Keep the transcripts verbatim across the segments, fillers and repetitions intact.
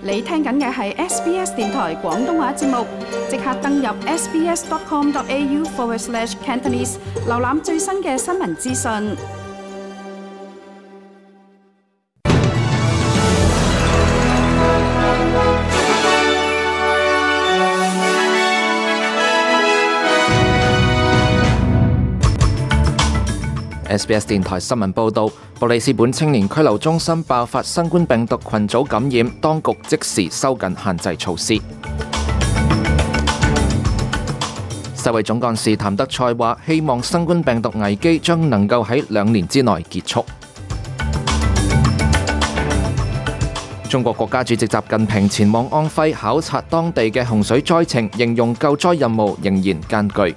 你聽緊嘅係 S B S 電台廣東話節目，即刻登入 sbs.com.au forward slash Cantonese， 瀏覽最新嘅新聞資訊。S B S 電台新聞報導，布里斯本青年拘留中心爆發新冠病毒群組感染，當局即時收緊限制措施。世衛總幹事譚德塞話：希望新冠病毒危機將能夠喺兩年之內結束。中國國家主席習近平前往安徽考察當地嘅洪水災情，形容救災任務仍然艱巨。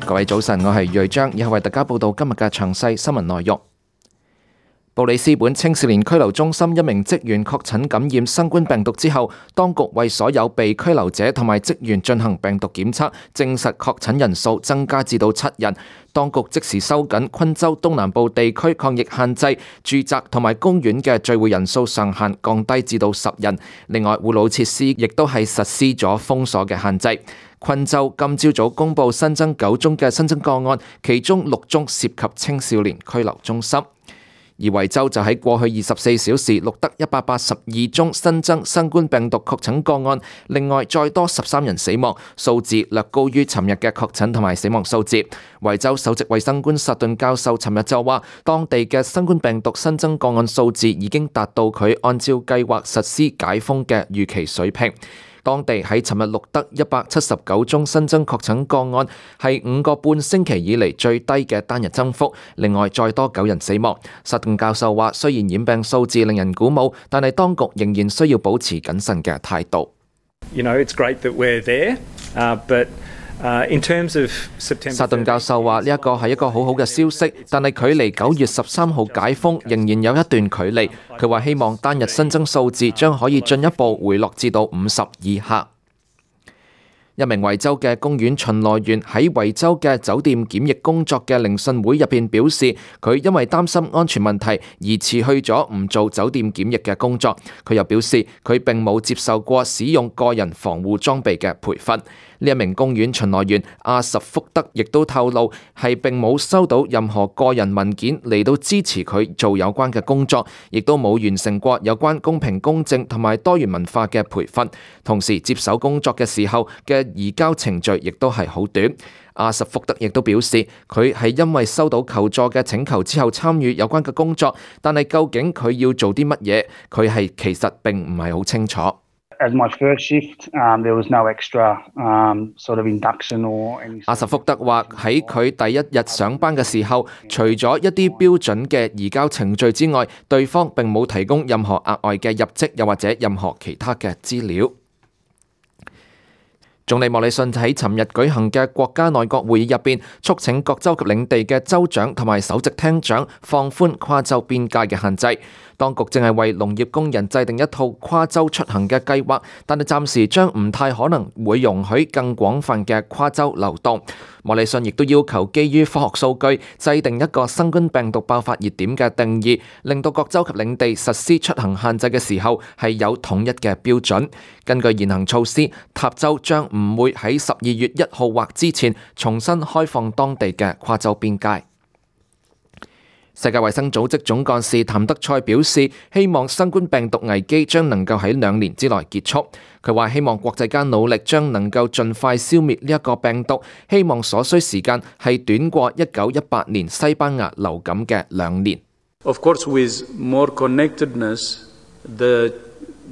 各位早晨，我係瑞章，以下為大家報道今日嘅詳細新聞內容。布里斯本青少年拘留中心一名職員確診感染新冠病毒之後，當局為所有被拘留者同埋職員進行病毒檢測，證實確診人數增加至到七人。當局即時收緊昆州東南部地區抗疫限制，住宅同埋公園嘅聚會人數上限降低至到十人。另外，護老設施亦都係實施咗封鎖嘅限制。昆州今朝早公布新增九宗嘅新增個案，其中六宗涉及青少年拘留中心。而維州就喺過去二十四小時錄得一百八十二宗新增新冠病毒確診個案，另外再多十三人死亡，數字略高於尋日嘅確診同埋死亡數字。維州首席衛生官薩頓教授尋日就話，當地嘅新冠病毒新增個案數字已經達到佢按照計劃實施解封嘅預期水平。當地喺尋日錄得一百七十九宗新增確診個案，係五個半星期以嚟最低嘅單日增幅。另外再多九人死亡。薩頓教授話，雖然染病數字令人鼓舞，但係當局仍然需要保持謹慎嘅態度。You know, it's great that we're there, uh, but Uh, in terms of September 薩頓教授話：呢一個係一個好好嘅消息，但係距離九月十三號解封仍然有一段距離。佢話希望單日新增數字將可以進一步回落至到五十以下。一名維州嘅公園巡邏員喺維州嘅酒店檢疫工作嘅聆訊會入邊表示，佢因為擔心安全問題而辭去咗唔做酒店檢疫嘅工作。佢又表示，佢並冇接受過使用個人防護裝備嘅培訓。呢一名公園巡邏員阿什福德亦都透露，係並冇收到任何個人文件嚟到支持佢做有關嘅工作，亦都冇完成過有關公平公正同埋多元文化嘅培訓。同時接手工作嘅時候嘅移交程序亦都係好短。阿什福德亦都表示，佢係因為收到求助嘅請求之後參與有關嘅工作，但係究竟佢要做啲乜嘢，佢係其實並唔係好清楚。As my first shift, um, there was no extra um, sort of induction or any... 阿什福德話喺佢第一日上班嘅時候，除咗一啲標準嘅移交程序之外，對方並冇提供任何額外嘅入職又或者任何其他嘅資料。總理莫里遜喺尋日舉行嘅國家內閣會議入邊，促請各州及領地嘅州長同埋首席廳長放寬跨州邊界嘅限制。當局正係為農業工人制定一套跨州出行嘅計劃，但係暫時將唔太可能會容許更廣泛嘅跨州流動。莫里遜亦都要求基於科學數據，制定一個新冠病毒爆發熱點嘅定義，令到各州及領地實施出行限制嘅時候係有統一嘅標準。根據現行措施，塔州將唔會喺十二月一號或之前重新開放當地嘅跨州邊界。世界衛生組織總幹事譚德塞表示，希望新冠病毒危機將能夠喺兩年之內結束。佢話希望國際間努力將能夠盡快消滅呢一個病毒，希望所需時間係短過一九一八年西班牙流感嘅兩年。Of course, with more connectedness, the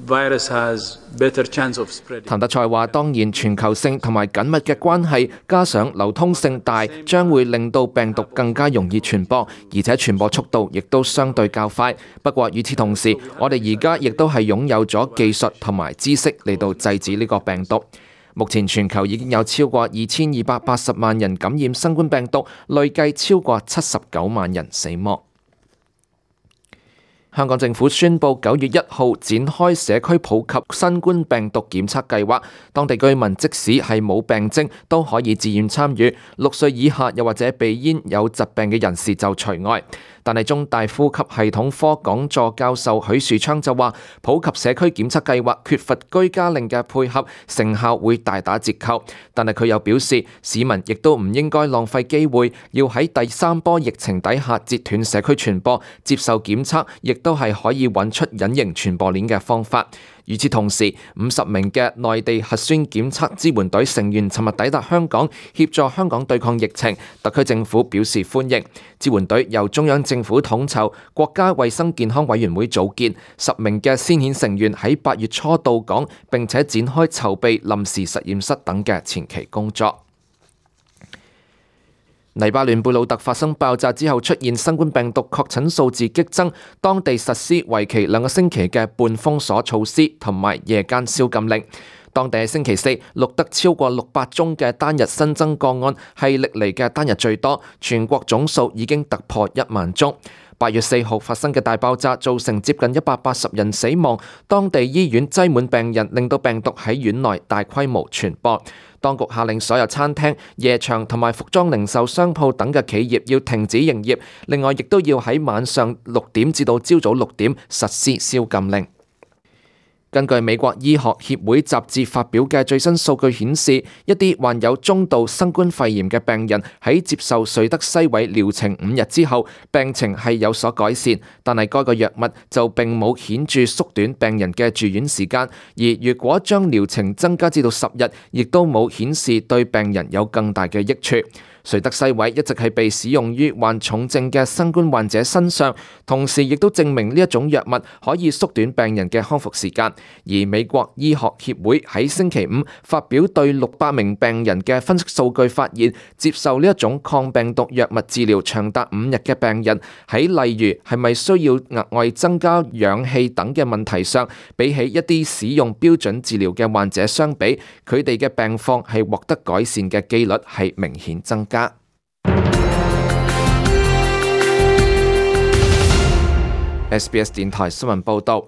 virus has better chance of spreading. 譚德塞話：當然，全球性同埋緊密嘅關係，加上流通性大，將會令到病毒更加容易傳播，而且傳播速度亦都相對較快。不過與此同時，我哋而家亦都係擁有咗技術同埋知識嚟到制止呢個病毒。目前全球已經有超過二千二百八十萬人感染新冠病毒，累計超過七十九萬人死亡。香港政府宣布九月一號展開社區普及新冠病毒檢測計劃，當地居民即使係冇病徵都可以自願參與，六歲以下又或者鼻咽有疾病嘅人士就除外。但係中大呼吸系統科講座教授許樹昌就話，普及社區檢測計劃缺乏居家令嘅配合，成效會大打折扣。但係佢又表示，市民亦都唔應該浪費機會，要喺第三波疫情底下截斷社區傳播，接受檢測亦都係可以揾出隱形傳播鏈嘅方法。與此同時，五十名嘅內地核酸檢測支援隊成員尋日抵達香港，協助香港對抗疫情。特區政府表示歡迎。支援隊由中央政府統籌，國家衛生健康委員會組建，十名嘅先遣成員喺八月初到港，並且展開籌備臨時實驗室等嘅前期工作。黎巴嫩貝魯特發生爆炸之後，出現新冠病毒確診數字激增，當地實施為期兩個星期嘅半封鎖措施同埋夜間宵禁令。當地喺星期四錄得超過六百宗嘅單日新增個案，係歷嚟嘅單日最多，全國總數已經突破一萬宗。八月四號發生嘅大爆炸造成接近一百八十人死亡，當地醫院擠滿病人，令到病毒喺院內大規模傳播。當局下令所有餐廳、夜場同埋服裝零售商鋪等嘅企業要停止營業，另外亦都要喺晚上六點至到朝早六點實施宵禁令。根據美國醫學協會雜誌發表嘅最新數據顯示，一啲患有中度新冠肺炎嘅病人喺接受瑞德西韋療程五日之後，病情係有所改善，但係該個藥物就並冇顯著縮短病人嘅住院時間，而如果將療程增加至到十日，亦都冇顯示對病人有更大嘅益處。瑞德西韋一直係被使用於患重症嘅新冠患者身上，同時亦都證明呢一種藥物可以縮短病人嘅康復時間。而美國醫學協會喺星期五發表對六百名病人嘅分析數據，發現接受呢一種抗病毒藥物治療長達五日嘅病人，喺例如係咪需要額外增加氧氣等嘅問題上，比起一啲使用標準治療嘅患者相比，佢哋嘅病況係獲得改善嘅機率係明顯增加。S B S 電台新聞報道，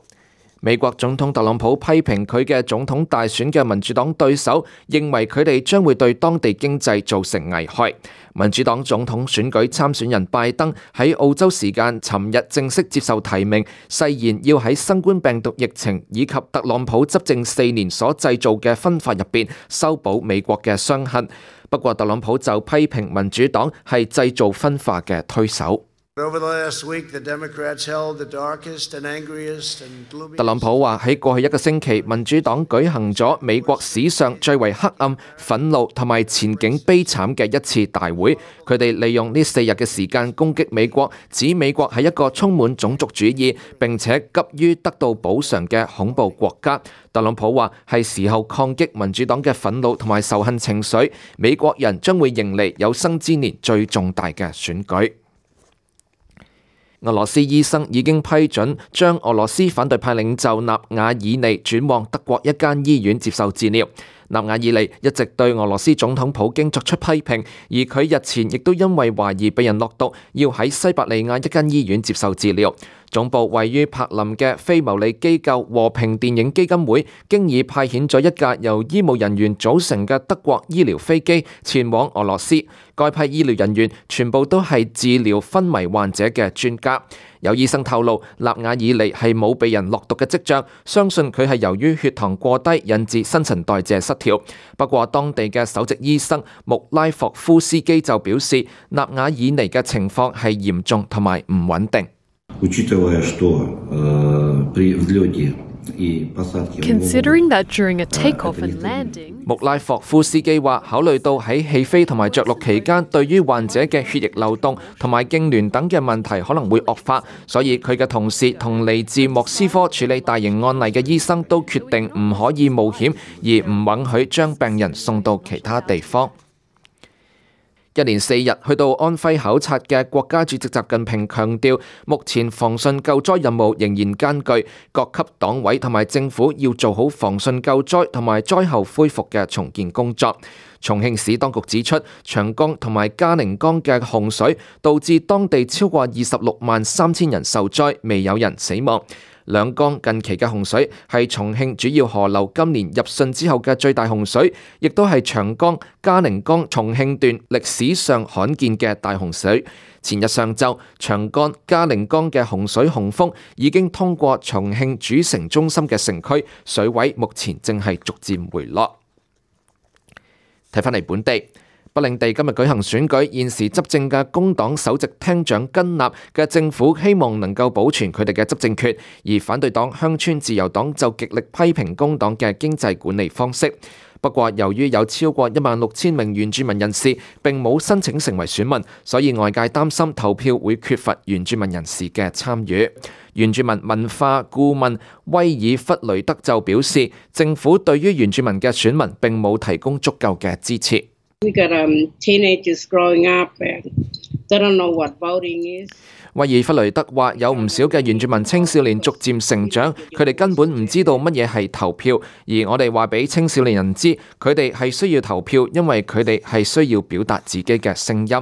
美國總統特朗普批評佢嘅總統大選嘅民主黨對手，認為佢哋將會對當地經濟造成危害。民主黨總統選舉參選人拜登喺澳洲時間尋日正式接受提名，誓言要喺新冠病毒疫情以及特朗普執政四年所製造嘅分化入邊修補美國嘅傷痕。不過特朗普就批評民主黨係製造分化嘅推手。特朗普話喺過去一個星期，民主黨舉行咗美國史上最為黑暗、憤怒同埋前景悲慘嘅一次大會。佢哋利用呢四日嘅時間攻擊美國，指美國係一個充滿種族主義並且急於得到補償嘅恐怖國家。特朗普話係時候抗擊民主黨嘅憤怒同埋仇恨情緒，美國人將會迎嚟有生之年最重大嘅選舉。俄羅斯醫生已經批准將俄羅斯反對派領袖納瓦爾尼轉往德國一間醫院接受治療。納瓦爾尼一直對俄羅斯總統普京作出批評，而佢日前亦都因為懷疑被人落毒，要喺西伯利亞一間醫院接受治療。總部位於柏林嘅非牟利機構和平電影基金會，經已派遣咗一架由醫務人員組成嘅德國醫療飛機前往俄羅斯。該批醫療人員全部都係治療昏迷患者嘅專家。有醫生透露，納瓦爾尼係冇被人落毒嘅跡象，相信佢係由於血糖過低引致新陳代謝失調。不過當地嘅首席醫生穆拉霍夫斯基就表示，納瓦爾尼嘅情況係嚴重同埋唔穩定。Considering that during a takeoff and landing，穆拉霍夫斯基話，考慮到喺起飛同埋着陸期間，對於患者嘅血液流動同埋痙攣等嘅問題可能會惡化，所以佢嘅同事同嚟自莫斯科處理大型案例嘅醫生都決定唔可以冒險，而唔允許將病人送到其他地方。一連四日去到安徽考察嘅國家主席習近平強調，目前防汛救災任務仍然艱巨，各級黨委同埋政府要做好防汛救災同埋災後恢復嘅重建工作。重慶市當局指出，長江同埋嘉陵江嘅洪水導致當地超過二十六萬三千人受災，未有人死亡。兩江近期嘅洪水係重慶主要河流今年入汛之後嘅最大洪水，亦都係長江、嘉陵江、重慶段歷史上罕見嘅大洪水。前日上晝，長江、嘉陵江嘅洪水洪峰已經通過重慶主城中心嘅城區，水位目前正係逐漸回落。睇返嚟本地，北領地今日舉行選舉，現時執政嘅工黨首席廳長根納嘅政府希望能夠保存佢哋嘅執政權，而反對黨鄉村自由黨就極力批評工黨嘅經濟管理方式。不過，由於有超過一萬六千名原住民人士並冇申請成為選民，所以外界擔心投票會缺乏原住民人士嘅參與。原住民文化顧問威爾弗雷德就表示，政府對於原住民嘅選民並冇提供足夠嘅支持。We got, um, teenagers growing up and they don't know what voting is. 威爾弗雷德話：有唔少嘅原住民青少年逐漸成長，佢哋根本唔知道乜嘢係投票，而我哋話俾青少年人知，佢哋係需要投票，因為佢哋係需要表達自己嘅聲音。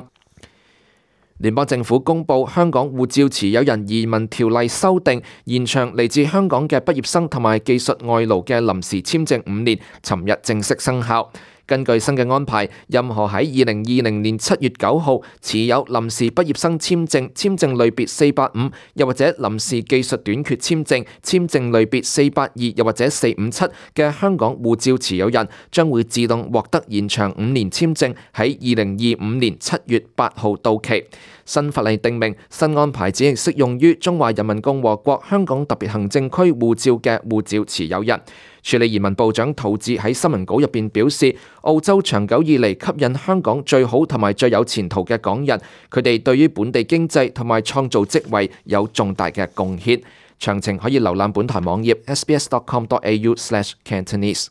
聯邦政府公布香港護照持有人移民條例修訂，延長嚟自香港嘅畢業生同埋技術外勞嘅臨時簽證五年，尋日正式生效。根據新嘅安排，任何喺二零二零年七月九號持有臨時畢業生簽證、簽證類別四八五，又或者臨時技術短缺簽證、簽證類別四八二，又或者四五七嘅香港護照持有人，將會自動獲得延長五年簽證，喺二零二五年七月八號到期。新法例訂明，新安排只係適用於中華人民共和國香港特別行政區護照嘅護照持有人。處理移民部長陶智喺新聞稿入邊表示，澳洲長久以嚟吸引香港最好同埋最有前途嘅港人，佢哋對於本地經濟同埋創造職位有重大嘅貢獻。詳情可以瀏覽本台網頁 s b s dot com dot a u slash cantonese。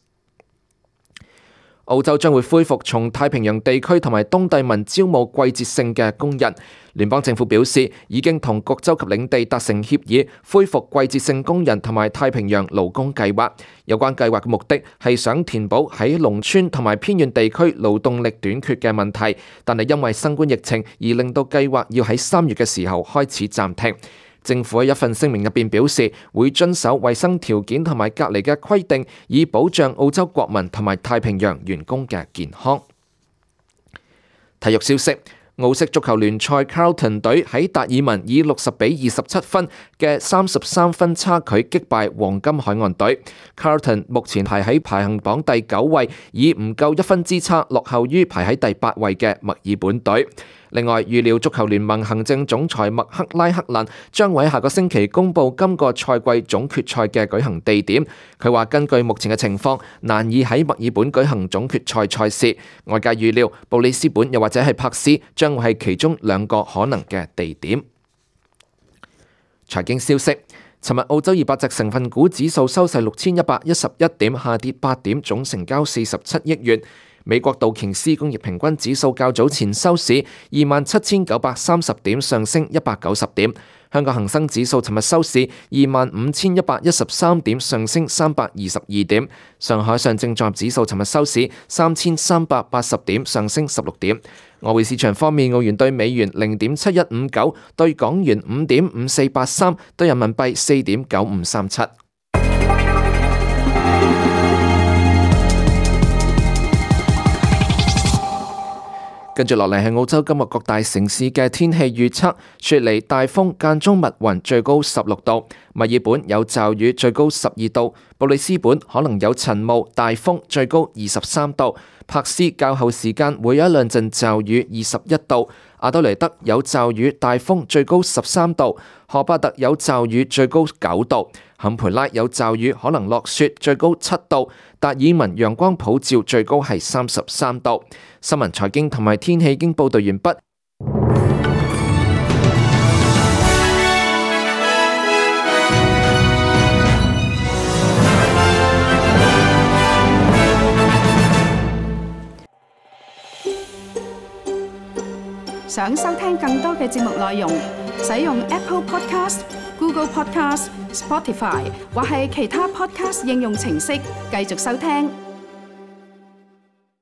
澳洲將會恢復從太平洋地區同埋東帝汶招募季節性嘅工人。聯邦政府表示，已經同各州及領地達成協議，恢復季節性工人同埋太平洋勞工計劃。有關計劃嘅目的係想填補喺農村同埋偏遠地區勞動力短缺嘅問題，但係因為新冠疫情而令到計劃要喺三月嘅時候開始暫停。政府喺一份聲明入邊表示，會遵守衛生條件同埋隔離嘅規定，以保障澳洲國民同埋太平洋員工嘅健康。體育消息。澳式足球聯賽 Carlton 隊喺達爾文以六十比二十七分嘅三十三分差距擊敗黃金海岸隊。Carlton 目前排喺排行榜第九位，以唔夠一分之差落後於排喺第八位嘅墨爾本隊。另外，預料足球聯盟行政總裁麥克拉克蘭將會喺下個星期公布今個賽季總決賽嘅舉行地點。佢話根據目前嘅情況，難以喺墨爾本舉行總決賽賽事。外界預料布里斯本又或者係柏斯將會係其中兩個可能嘅地點。財經消息，尋日澳洲二百隻成分股指數收市六千一百一十一點，下跌八點，總成交四十七億元。美國道瓊斯工業平均指數較早前收市二萬七千九百三十點，上升一百九十點。香港恒生指數尋日收市二萬五千一百一十三點，上升三百二十二點。上海上證綜合指數尋日收市三千三百八十點，上升十六點。外匯市場方面，澳元對美元零點七一五九，對港元五點五四八三，對人民幣四點九五三七。跟住落嚟係澳洲今日各大城市嘅天氣預測：雪梨大風間中密雲，最高十六度；墨爾本有驟雨，最高十二度；布里斯本可能有塵霧、大風，最高二十三度；柏斯較後時間會有一兩陣驟雨，二十一度；阿德雷德有驟雨、大風，最高十三度；荷巴特有驟雨，最高九度；坎培拉有驟雨，可能落雪，最高七度；達爾文陽光普照，最高係三十三度。新聞、財經同埋天氣已經報道完畢。想收聽更多嘅節目內容，使用 Apple Podcast、Google Podcast、Spotify 或係其他 Podcast 應用程式繼續收聽。